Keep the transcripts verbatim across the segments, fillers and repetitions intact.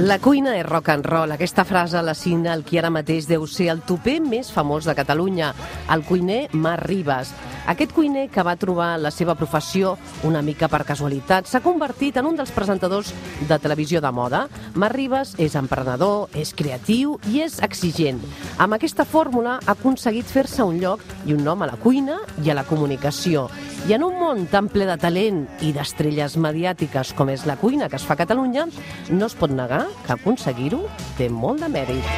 La cuina és rock and roll. Aquesta frase la signa el qui ara mateix deu ser el tupè més famós de Catalunya, el cuiner Marc Ribas. Aquest cuiner, que va trobar la seva professió una mica per casualitat, s'ha convertit en un dels presentadors de televisió de moda. Marc Ribas és emprenedor, és creatiu i és exigent. Amb aquesta fórmula ha aconseguit fer-se un lloc i un nom a la cuina i a la comunicació. I en un món tan ple de talent i d'estrelles mediàtiques com és la cuina que es fa a Catalunya, no es pot negar que aconseguir-ho té molt de mèrit.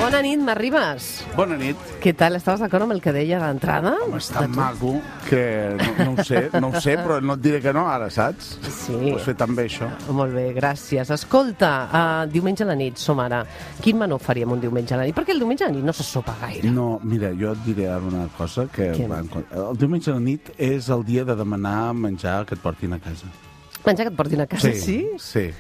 Bona nit, Marc Ribas. Bona nit. Què tal? Estaves d'acord amb el que deia d'entrada? Home, és tan maco que no, no ho sé, no ho sé, però no et diré que no, ara, saps? Sí. Ho has fet tan bé, això. Molt bé, gràcies. Escolta, uh, diumenge a la nit som ara. Quin menú faríem un diumenge a la nit? Perquè el diumenge a la nit no se sopa gaire. No, mira, jo et diré ara una cosa que... Va, el diumenge a la nit és el dia de demanar menjar que et portin a casa. Menjar que et portin a casa, sí? Sí, sí.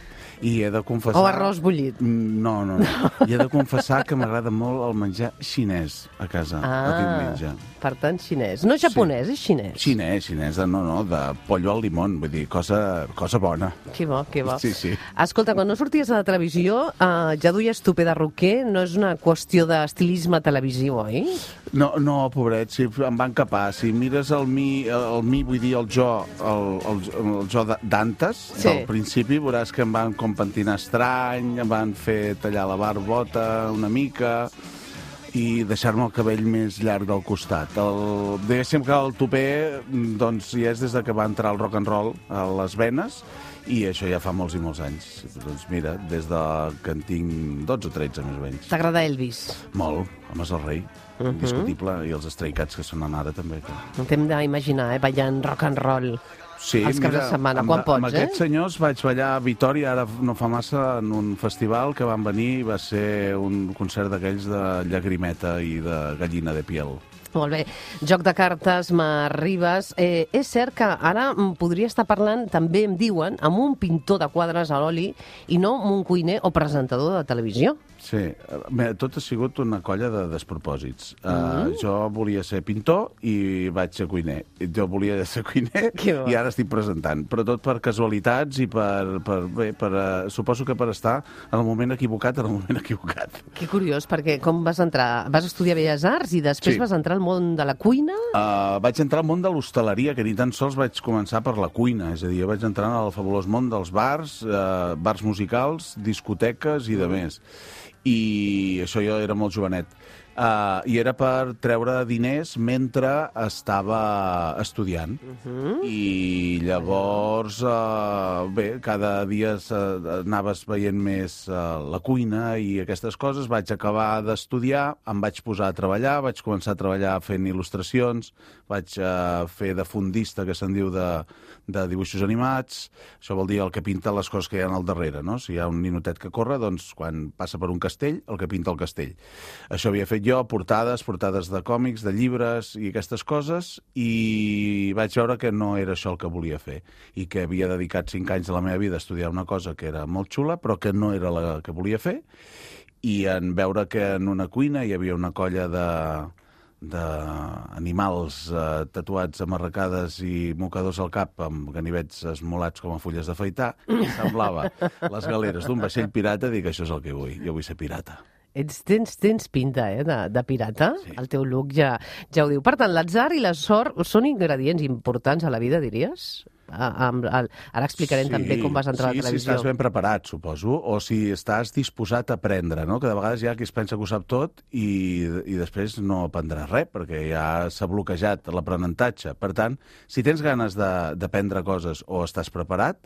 I he de confessar... O arròs bullit. No, no, no. I he de confessar que m'agrada molt el menjar xinès a casa, ah, el diumenge. Per tant, xinès. No japonès, sí. És xinès. Xinès, xinès, no, no, de pollo al limón, vull dir, cosa, cosa bona. Que bo, que bo. Sí, sí. Escolta, quan no sorties a la televisió, uh, ja duies tupè de roquer, no és una qüestió d'estilisme televisiu, oi? No, no, pobret, sí, em van capar. Si mires el mi, el mi vull dir, el jo, el, el, el jo d'antes, sí. Del principi, veuràs que em van com pentinar estrany, em van fer tallar la barbota una mica i deixar-me el cabell més llarg del costat. El, diguéssim que el tupè doncs, ja és des de que va entrar el rock and roll a les venes i això ja fa molts i molts anys. Doncs mira, des de que en tinc dotze o tretze més o menys. T'agrada Elvis? Molt, home, és el rei. Uh -huh. Indiscutible, i els Stray Cats que sonen ara també. Que... T'hem d'imaginar, eh, ballant rock and roll. Sí, els caps de setmana, quan amb, pots, amb eh? Amb aquests senyors vaig ballar a Vitòria, ara no fa massa, en un festival que van venir i va ser un concert d'aquells de llagrimeta i de gallina de piel. Molt bé. Joc de cartes, Marc Ribas. Eh, és cert que ara podria estar parlant, també em diuen, amb un pintor de quadres a l'oli i no amb un cuiner o presentador de televisió. Sí, bé, tot ha sigut una colla de despropòsits. Mm. Uh, jo volia ser pintor i vaig ser cuiner. Jo volia ser cuiner i ara estic presentant. Però tot per casualitats i per, per, bé, per uh, suposo que per estar en el moment equivocat, en el moment equivocat. Que curiós, perquè com vas entrar? Vas estudiar Belles Arts i després sí. Vas entrar al món de la cuina? Uh, vaig entrar al món de l'hostaleria, que ni tan sols vaig començar per la cuina. És a dir, jo vaig entrar en el fabulós món dels bars, uh, bars musicals, discoteques i de més. I això jo era molt jovenet. Uh, I era per treure diners mentre estava estudiant. Uh -huh. I llavors, uh, bé, cada dia anaves veient més uh, la cuina i aquestes coses. Vaig acabar d'estudiar, em vaig posar a treballar, vaig començar a treballar fent il·lustracions, vaig uh, fer de fondista, que se'n diu de, de dibuixos animats. Això vol dir el que pinta les coses que hi ha al darrere, no? Si hi ha un ninotet que corre, doncs quan passa per un castell, el que pinta el castell. Això havia fet jo, portades, portades de còmics, de llibres i aquestes coses, i vaig veure que no era això el que volia fer i que havia dedicat cinc anys de la meva vida a estudiar una cosa que era molt xula, però que no era la que volia fer, i en veure que en una cuina hi havia una colla de d'animals eh, tatuats, amarracades i mocadors al cap amb ganivets esmolats com a fulles d'afaitar, semblava les galeres d'un vaixell pirata. Dic, això és el que vull, jo vull ser pirata. Ets, tens, tens pinta, eh, de, de pirata. Sí. El teu look ja, ja ho diu. Per tant, l'atzar i la sort són ingredients importants a la vida, diries? A, a, a, ara explicarem sí, també com vas entrar sí, a la televisió. Sí, si estàs ben preparat, suposo, o si estàs disposat a aprendre, no? Que de vegades hi ha qui es pensa que ho sap tot i, i després no aprendrà res, perquè ja s'ha bloquejat l'aprenentatge. Per tant, si tens ganes d'aprendre coses o estàs preparat,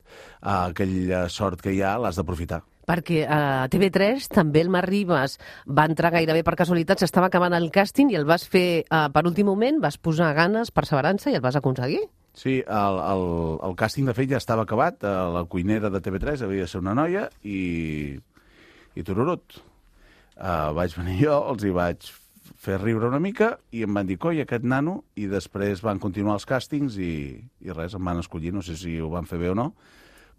eh, aquella sort que hi ha l'has d'aprofitar. Perquè a T V tres també el Marc Ribas va entrar gairebé per casualitat, s'estava acabant el càsting i el vas fer uh, per últim moment, vas posar ganes, perseverança i el vas aconseguir. Sí, el, el, el càsting de fet ja estava acabat, la cuinera de T V tres havia de ser una noia i, i tururut. Uh, vaig venir jo, els hi vaig fer riure una mica i em van dir, coi, aquest nano, i després van continuar els càstings i, i res, em van escollir, no sé si ho van fer bé o no,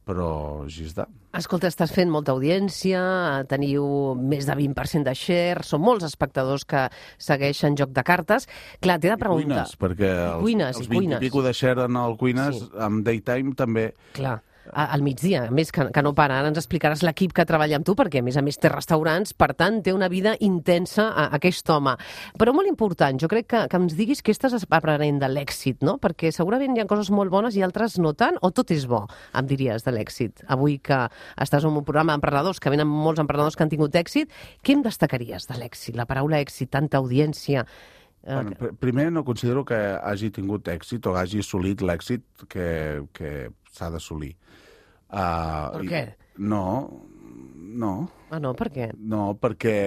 però així està. Escolta, estàs fent molta audiència, teniu més de vint per cent de share, són molts espectadors que segueixen Joc de Cartes. Clar, t'he de preguntar... I cuines, perquè els, cuines, els vint i pico de share en el Cuines, sí. amb Daytime també... Clar. Al migdia, a més que, que no para. Ara ens explicaràs l'equip que treballa amb tu, perquè a més a més té restaurants, per tant té una vida intensa a, a aquest home. Però molt important, jo crec que, que ens diguis què estàs aprenent de l'èxit, no? Perquè segurament hi ha coses molt bones i altres no tant, o tot és bo, em diries, de l'èxit. Avui que estàs en un programa d'emprenedors, que venen molts emprenedors que han tingut èxit, què em destacaries de l'èxit? La paraula èxit, tanta audiència... Bueno, pr primer no considero que hagi tingut èxit o hagi assolit l'èxit que, que s'ha d'assolir. Uh, per què? No, no. Ah, no? Per què? No, perquè,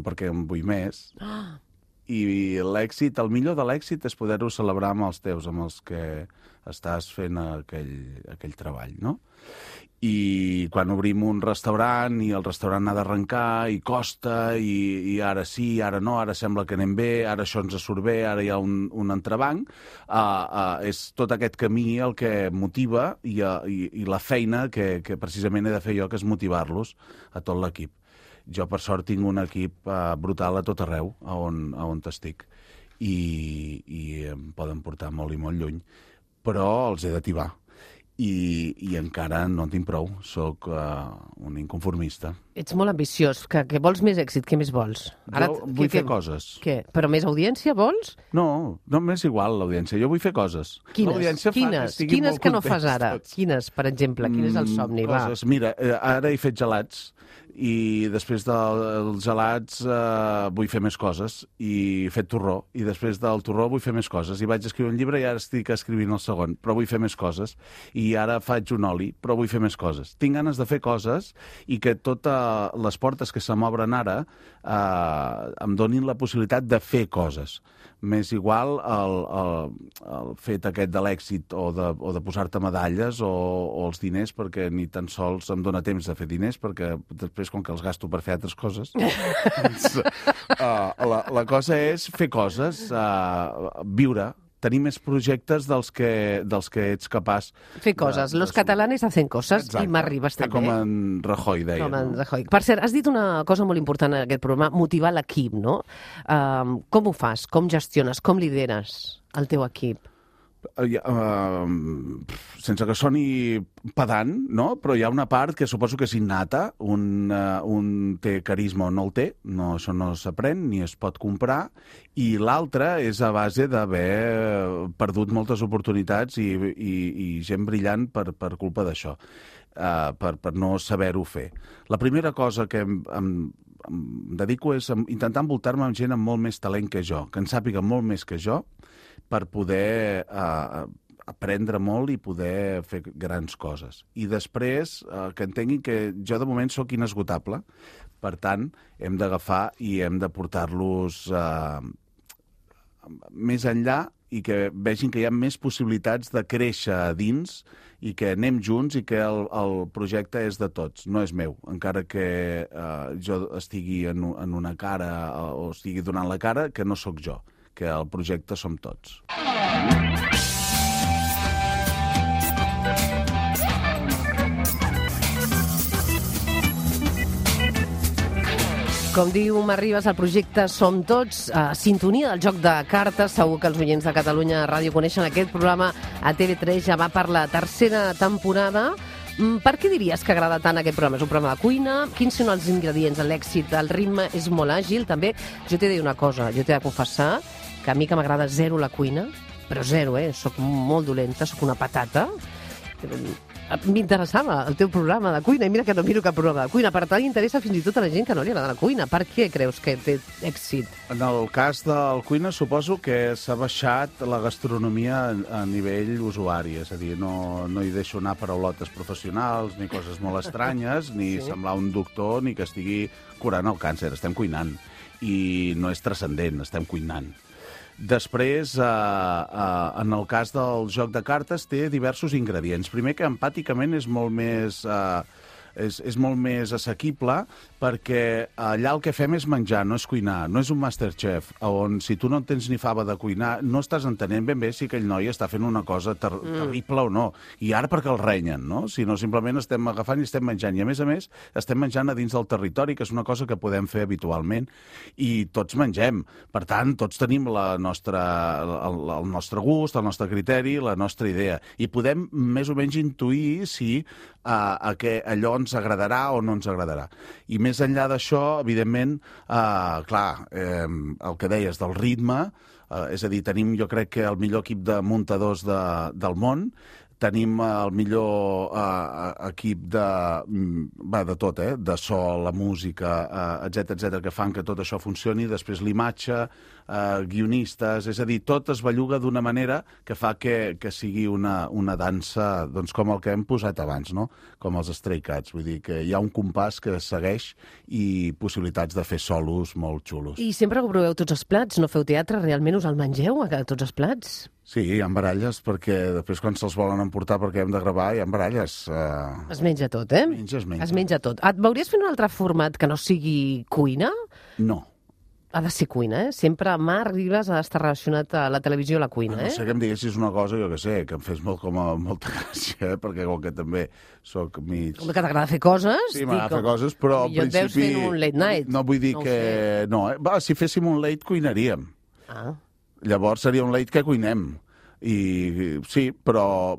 perquè en vull més. Ah. I l'èxit, el millor de l'èxit és poder-ho celebrar amb els teus, amb els que estàs fent aquell, aquell treball, no? I quan obrim un restaurant i el restaurant ha d'arrencar i costa i, i ara sí, ara no, ara sembla que anem bé, ara això ens surt bé, ara hi ha un, un entrebanc, uh, uh, és tot aquest camí el que motiva i, uh, i, i la feina que, que precisament he de fer jo, que és motivar-los a tot l'equip. Jo, per sort, tinc un equip uh, brutal a tot arreu, a on, a on t'estic, i, i em poden portar molt i molt lluny, però els he d'ativar. I, i encara no en tinc prou, sóc uh, un inconformista. Ets molt ambiciós, que, que vols més èxit, què més vols? Ara, jo vull què, fer què... coses. Què? Però més audiència vols? No, no m'és igual l'audiència, jo vull fer coses. Quines? Quines, que, Quines que no fas ara? Tots. Quines, per exemple? Quin és el somni? Mm, coses. Va. Mira, ara he fet gelats, i després dels gelats eh, vull fer més coses, i he fet torró, i després del torró vull fer més coses, i vaig escriure un llibre i ara estic escrivint el segon, però vull fer més coses, i ara faig un oli, però vull fer més coses. Tinc ganes de fer coses i que totes les portes que se m'obren ara eh, em donin la possibilitat de fer coses. M'és igual el, el, el fet aquest de l'èxit o de, o de posar-te medalles o, o els diners, perquè ni tan sols em dóna temps de fer diners, perquè després, com que els gasto per fer altres coses, doncs, uh, la, la cosa és fer coses, uh, viure, tenir més projectes dels que, dels que ets capaç... Fer coses. De, Los de... catalanes hacen coses. Exacte. I m'arribes també. Com en Rajoy deia. Com en no? Rajoy. Per cert, has dit una cosa molt important en aquest programa, motivar l'equip, no? Um, com ho fas? Com gestiones? Com lideres el teu equip? Uh, uh, sense que soni pedant, no? Però hi ha una part que suposo que és innata, un, uh, un té carisma o no el té, no, això no s'aprèn ni es pot comprar, i l'altra és a base d'haver perdut moltes oportunitats i, i, i gent brillant per, per culpa d'això, uh, per, per no saber-ho fer. La primera cosa que em, em, em dedico és a intentar envoltar-me amb gent amb molt més talent que jo, que en sàpiga molt més que jo, per poder eh, aprendre molt i poder fer grans coses. I després eh, que entenguin que jo de moment sóc inesgotable, per tant, hem d'agafar i hem de portar-los eh, més enllà i que vegin que hi ha més possibilitats de créixer a dins i que anem junts i que el, el projecte és de tots, no és meu. Encara que eh, jo estigui en, en una cara o estigui donant la cara, que no sóc jo, que el projecte som tots. Com diu M'Arribes, el projecte Som Tots, a sintonia del Joc de Cartes. Segur que els oients de Catalunya Ràdio coneixen aquest programa. A T V tres ja va per la tercera temporada. Per què diries que agrada tant aquest programa? És un programa de cuina? Quins són els ingredients de l'èxit? El ritme és molt àgil, també. Jo t'he de dir una cosa, jo t'he de confessar que a mi que m'agrada zero la cuina, però zero, eh? Soc molt dolenta, soc una patata. M'interessava el teu programa de cuina, i mira que no miro cap programa de cuina. Per tant, interessa fins i tot a la gent que no li agrada la cuina. Per què creus que té èxit? En el cas del cuina, suposo que s'ha baixat la gastronomia a nivell usuari, és a dir, no, no hi deixo anar paraulotes professionals, ni coses molt estranyes, ni sí. semblar un doctor, ni que estigui curant el càncer. Estem cuinant. I no és transcendent, estem cuinant. Després, eh, eh, en el cas del joc de cartes, té diversos ingredients. Primer, que empàticament és molt més... Eh, és, és molt més assequible, perquè allà el que fem és menjar, no és cuinar, no és un Masterchef, on si tu no en tens ni fava de cuinar, no estàs entenent ben bé si aquell noi està fent una cosa ter mm. terrible o no. I ara perquè el renyen, no? Sinó simplement estem agafant i estem menjant. I a més a més, estem menjant a dins del territori, que és una cosa que podem fer habitualment, i tots mengem. Per tant, tots tenim la nostra, el, el nostre gust, el nostre criteri, la nostra idea. I podem més o menys intuir si a, a que allò ens agradarà o no ens agradarà. I més enllà d'això, evidentment, eh, clar, eh, el que deies del ritme, eh, és a dir, tenim, jo crec que el millor equip de muntadors de, del món, tenim el millor uh, equip de, va, de tot, eh? De so, la música, uh, etcètera, etcètera, que fan que tot això funcioni, després l'imatge, uh, guionistes, és a dir, tot es belluga d'una manera que fa que, que sigui una, una dansa, doncs com el que hem posat abans, no? Com els Stray Cats, vull dir que hi ha un compàs que segueix i possibilitats de fer solos molt xulos. I sempre que proveu tots els plats, no feu teatre, realment us el mengeu, a tots els plats? Sí, hi ha baralles, perquè després quan se'ls volen emportar perquè hem de gravar, hi ha baralles. Uh... Es menja tot, eh? Es menja, es menja. Es menja tot. Et veuries fer un altre format que no sigui cuina? No. Ha de ser cuina, eh? Sempre Marc Ribas ha d'estar relacionat a la televisió a la cuina, eh? No sé que em diguessis una cosa, jo que sé, que em fes molt, com a, molta gràcia, eh? Perquè com que també soc mig... Com que t'agrada fer coses? Sí, m'agrada fer coses, però al principi... Millor et veus fent un late night. No vull dir no que... No, eh? Va, si féssim un late, cuinaríem. Ah. Llavors seria un late que cuinem. I sí, però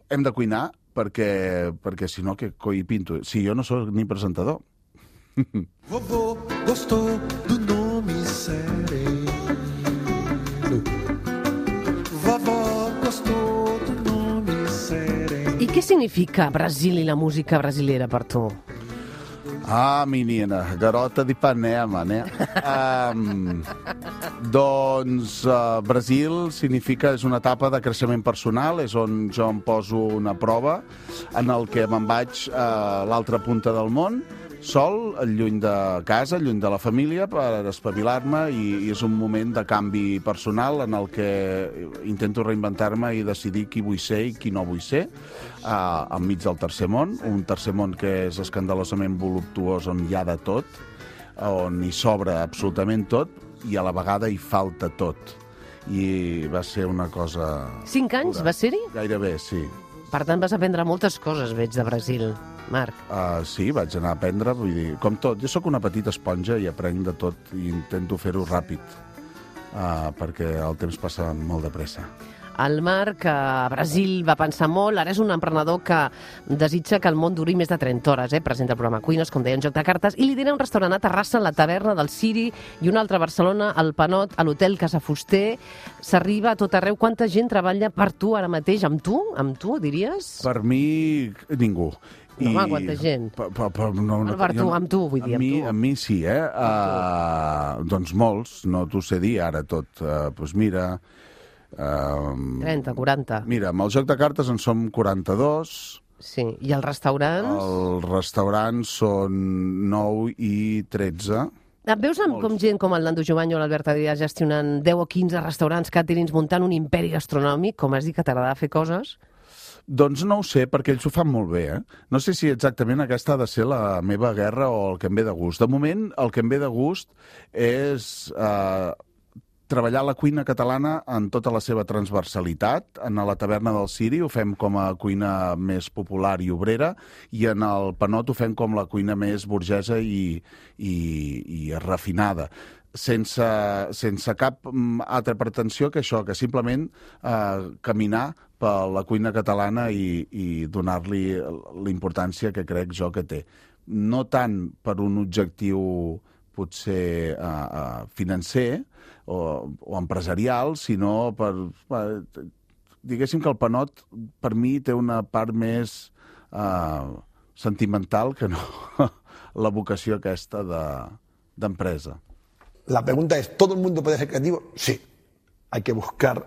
hem de cuinar perquè, perquè si no, que coi pinto? Si jo no sóc ni presentador. Vovô gostou do nome Sereno. Vovó gostou do nome Sereno. I què significa Brasil i la música brasilera per tu? Ah, menina, garota de Ipanema, né? Um, doncs uh, Brasil significa, és una etapa de creixement personal, és on jo em poso una prova en el que me'n vaig a l'altra punta del món, sol, lluny de casa, lluny de la família, per espavilar-me, i, i és un moment de canvi personal en el que intento reinventar-me i decidir qui vull ser i qui no vull ser, uh, enmig del tercer món, un tercer món que és escandalosament voluptuós, on hi ha de tot, on hi sobra absolutament tot, i a la vegada hi falta tot. I va ser una cosa... Cinc anys pura. Va ser-hi? Gairebé, sí. Per tant, vas aprendre moltes coses, veig, de Brasil, Marc. Uh, sí, vaig anar a aprendre, vull dir, com tot. Jo sóc una petita esponja i aprenc de tot i intento fer-ho ràpid, uh, perquè el temps passa molt de pressa. El Marc a Brasil va pensar molt, ara és un emprenedor que desitja que el món duri més de trenta hores, eh? Presenta el programa Cuines, com deia, en Joc de Cartes, i lidera un restaurant a Terrassa, la Taverna del Ciri, i un altre a Barcelona, al Panot, a l'Hotel Casa Fuster. S'arriba a tot arreu. Quanta gent treballa per tu ara mateix? Amb tu? Amb tu, diries? Per mi, ningú. No, home, quanta gent? Per, per, per, no, no, per tu, jo, amb tu, vull dir, amb, amb mi, tu. Amb mi sí, eh? Uh, doncs molts, no t'ho sé dir ara tot. Uh, doncs mira... Uh, trenta, quaranta. Mira, amb el Joc de Cartes en som quaranta-dos. Sí, i els restaurants? Els restaurants són nou i tretze. Et veus amb com gent com el Nando Jovany o l'Albert Adrià gestionant deu o quinze restaurants, càterings, muntant un imperi gastronòmic, com has dit que t'agrada fer coses? Doncs no ho sé, perquè ells ho fan molt bé, eh? No sé si exactament aquesta ha de ser la meva guerra o el que em ve de gust. De moment, el que em ve de gust és... Eh, treballar la cuina catalana en tota la seva transversalitat. En la Taverna del Ciri ho fem com a cuina més popular i obrera, i en el Panot ho fem com la cuina més burgesa i, i, i refinada. Sense, sense cap altra pretensió que això, que simplement eh, caminar per la cuina catalana i, i donar-li l'importància que crec jo que té. No tant per un objectiu potser eh, eh, financer, O, o empresarial, sinó per... Diguéssim que el Panot, per mi, té una part més eh, sentimental que no la vocació aquesta de, d'empresa. La pregunta es, ¿todo el mundo puede ser creativo? Sí. Hay que buscar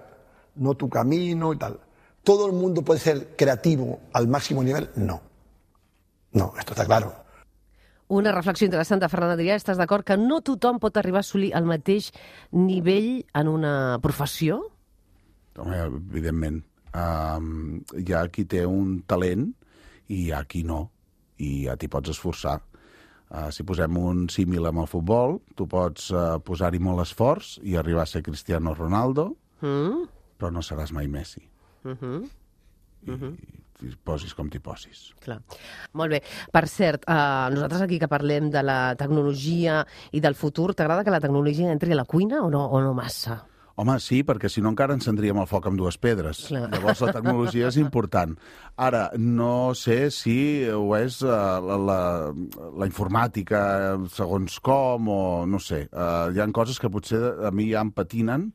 no tu camino y tal. ¿Todo el mundo puede ser creativo al máximo nivel? No. No, esto está claro. Una reflexió interessant de Ferran Adrià. Estàs d'acord que no tothom pot arribar a assolir el mateix nivell en una professió? Home, evidentment. Um, hi ha qui té un talent i hi ha qui no. i ja t'hi pots esforçar. Uh, si posem un símil amb el futbol, tu pots uh, posar-hi molt esforç i arribar a ser Cristiano Ronaldo, mm. però no seràs mai Messi. Mm-hmm. I, mm-hmm. i posis com t'hi posis. Clar. Molt bé. Per cert, uh, nosaltres aquí que parlem de la tecnologia i del futur, t'agrada que la tecnologia entri a la cuina o no, o no massa? Home, sí, perquè si no encara encendríem el foc amb dues pedres. Clar. Llavors la tecnologia és important. Ara, no sé si ho és uh, la, la, la informàtica segons com o no sé. Uh, hi ha coses que potser a mi ja em patinen,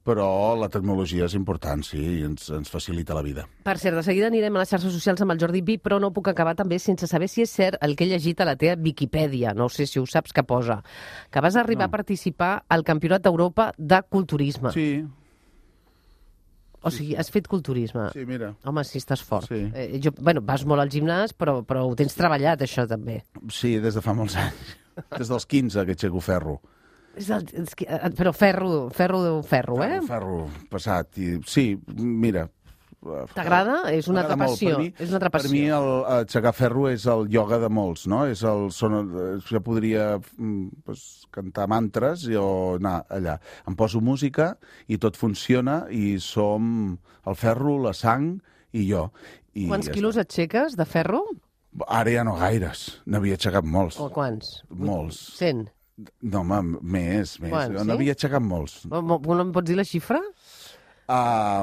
però la tecnologia és important, sí, i ens, ens facilita la vida. Per cert, de seguida anirem a les xarxes socials amb el Jordi Vi, però no puc acabar també sense saber si és cert el que he llegit a la teva Viquipèdia, no sé si ho saps que posa, que vas arribar no. a participar al Campionat d'Europa de Culturisme. Sí. O sigui, has fet culturisme. Sí, mira. Home, sí, estàs fort. Sí. Eh, jo, bueno, vas molt al gimnàs, però, però ho tens treballat, això, també. Sí, des de fa molts anys. Des dels quinze que aixeco ferro. És el, és que, però ferro, ferro, ferro, eh? Ferro, ferro passat. I, sí, mira... T'agrada? És una altra passió. Mi, és una altra passió. Per mi el, aixecar ferro és el ioga de molts, no? És el, son, jo podria pues, cantar mantres o anar allà. Em poso música i tot funciona i som el ferro, la sang i jo. I quants ja quilos està. Aixeques de ferro? Ara ja no gaires. N'havia aixecat molts. O quants? Molts. cent? No, home, més, més. Quants, sí? N'havia aixecat molts. No em pots dir la xifra? Uh,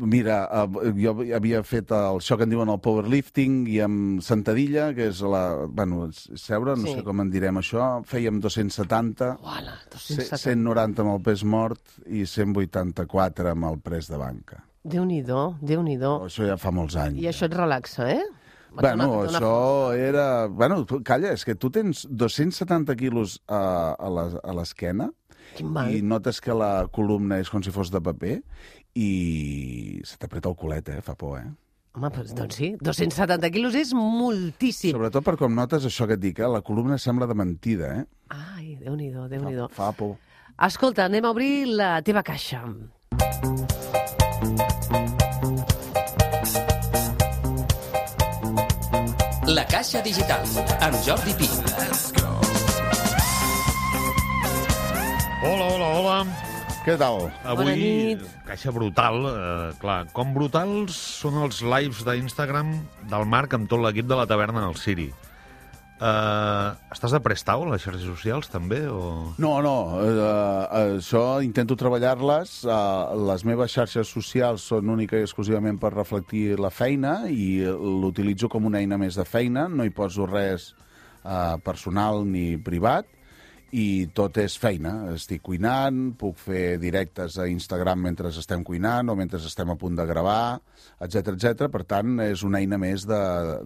mira, uh, jo havia fet el, això que en diuen el powerlifting i amb sentadilla, que és la... Bueno, seure, no sí. sé com en direm això. Fèiem dos-cents setanta, Uala, dos-cents setanta. cent noranta amb el pes mort i cent vuitanta-quatre amb el pres de banca. Déu-n'hi-do, Déu-n'hi-do. Això ja fa molts anys. I això et relaxa, eh? Bueno, una, una... això era... Bueno, calla, és que tu tens dos-cents setanta quilos a, a l'esquena i notes que la columna és com si fos de paper i se t'apreta el culet, eh? Fa por, eh? Home, doncs sí, dos-cents setanta quilos és moltíssim. Sobretot per com notes això que et dic, eh? La columna sembla de mentida, eh? Ai, Déu-n'hi-do, Déu-n'hi-do. Fa, fa por. Escolta, anem a obrir la teva caixa. La Caixa Digital, amb Jordi Pi. Hola, hola, hola. Què tal? Avui, caixa brutal. Eh, clar, com brutals són els lives d'Instagram del Marc amb tot l'equip de la taverna del Siri. Uh, estàs de prestau a les xarxes socials, també? O... No, no. Uh, això intento treballar-les. Uh, les meves xarxes socials són única i exclusivament per reflectir la feina i l'utilitzo com una eina més de feina. No hi poso res uh, personal ni privat. I tot és feina. Estic cuinant, puc fer directes a Instagram mentre estem cuinant o mentre estem a punt de gravar, etcètera, etcètera. Per tant, és una eina més de,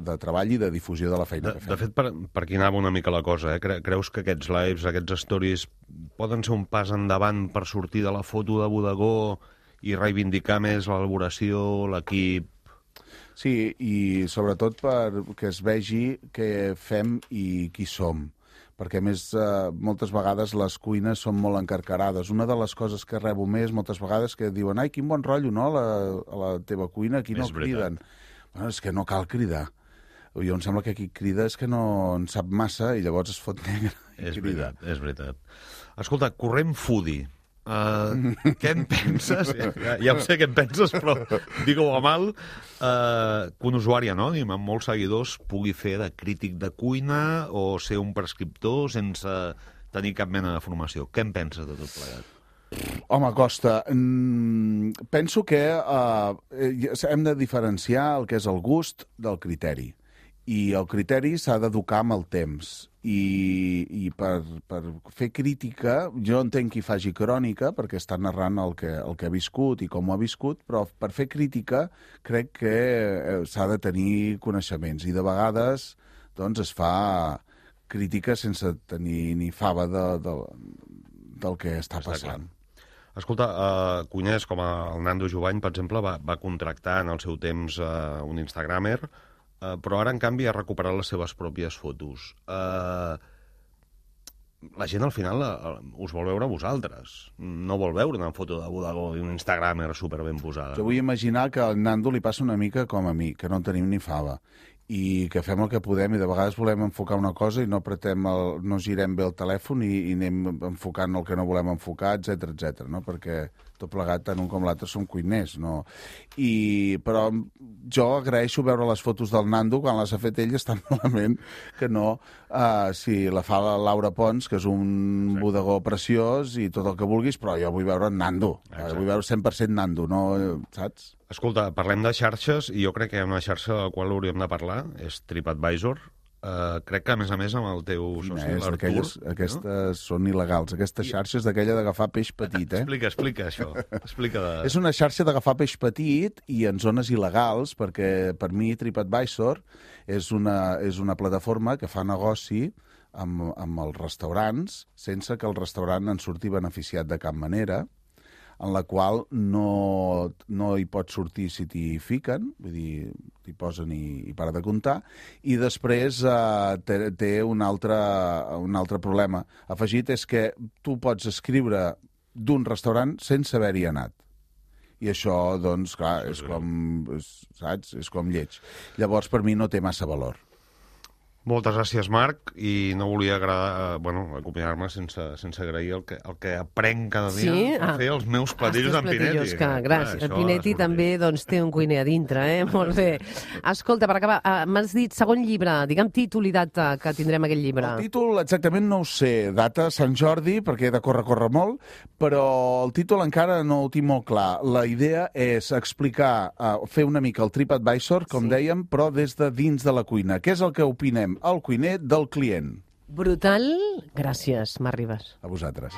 de treball i de difusió de la feina de, que fem. De fet, per, per aquí anava una mica la cosa, eh? Creus que aquests lives, aquests stories, poden ser un pas endavant per sortir de la foto de bodegó i reivindicar més l'elaboració, l'equip? Sí, i sobretot perquè es vegi què fem i qui som. Perquè, a més, eh, moltes vegades les cuines són molt encarcarades. Una de les coses que rebo més moltes vegades que diuen ai, quin bon rotllo, no?, la, a la teva cuina, aquí no criden. Bueno, és que no cal cridar. Jo em sembla que qui crida és que no en sap massa i llavors es fot negre i és crida. Veritat, és veritat. Escolta, corrent foodie. Uh, què en penses? Ja, ja ho sé què en penses, però digue-ho a mal. Uh, que un usuari anònim amb molts seguidors pugui fer de crític de cuina o ser un prescriptor sense tenir cap mena de formació. Què en penses de tot plegat? Home, Costa, mm, penso que uh, hem de diferenciar el que és el gust del criteri. I el criteri s'ha d'educar amb el temps. I, i per, per fer crítica, jo entenc qui faci crònica, perquè està narrant el que, el que ha viscut i com ho ha viscut, però per fer crítica crec que s'ha de tenir coneixements. I de vegades doncs, es fa crítica sense tenir ni fava de, de, del que està, està passant. Clar. Escolta, uh, cuiners com el Nando Jovany, per exemple, va, va contractar en el seu temps uh, un instagramer, Uh, però ara, en canvi, ha recuperat les seves pròpies fotos. Uh, la gent, al final, uh, us vol veure a vosaltres. No vol veure una foto de bodegó i un instagramer superben posada. Jo vull imaginar que al Nando li passa una mica com a mi, que no en tenim ni fava. i que fem el que podem, i de vegades volem enfocar una cosa i no apretem el, no girem bé el telèfon i, i anem enfocant el que no volem enfocar, etc etc. no? Perquè tot plegat, tant un com l'altre, som cuiners, no? I, però jo agraeixo veure les fotos del Nando quan les ha fet ell, és tan malament que no, uh, si la fa la Laura Pons, que és un Exacte. bodegó preciós i tot el que vulguis, però jo vull veure en Nando, Exacte. vull veure cent per cent Nando, no, saps? Escolta, parlem de xarxes, i jo crec que hi ha una xarxa de la qual hauríem de parlar, és TripAdvisor. Uh, crec que, a més a més, amb el teu soci, l'Artur... Aquelles, aquestes no? són il·legals. Aquestes xarxes d'aquella d'agafar peix petit, eh? Explica, explica això. Explica de... És una xarxa d'agafar peix petit i en zones il·legals, perquè per mi TripAdvisor és una, és una plataforma que fa negoci amb, amb els restaurants sense que el restaurant en surti beneficiat de cap manera, en la qual no, no hi pot sortir si t'hi fiquen, vull dir, t'hi posen i, i para de comptar, i després eh, té, té un, altre, un altre problema afegit, és que tu pots escriure d'un restaurant sense haver-hi anat. I això, doncs, clar, és com, és, saps? És com lleig. Llavors, per mi no té massa valor. Moltes gràcies, Marc, i no volia agradar, bueno, acomiadar-me sense, sense agrair el que, el que aprenc cada dia sí? a fer els meus platillos d'en Pinetti. Que, gràcies. El Pinetti també doncs, té un cuiner a dintre, eh? Molt bé. Escolta, per acabar, uh, m'has dit segon llibre, digue'm títol i data que tindrem aquest llibre. El títol exactament no ho sé, data Sant Jordi, perquè he de córrer, córrer molt, però el títol encara no ho tinc molt clar. La idea és explicar, uh, fer una mica el TripAdvisor, com sí. dèiem, però des de dins de la cuina. Què és el que opinem? El cuiner del client. Brutal. Gràcies, Marc Ribas. A vosaltres.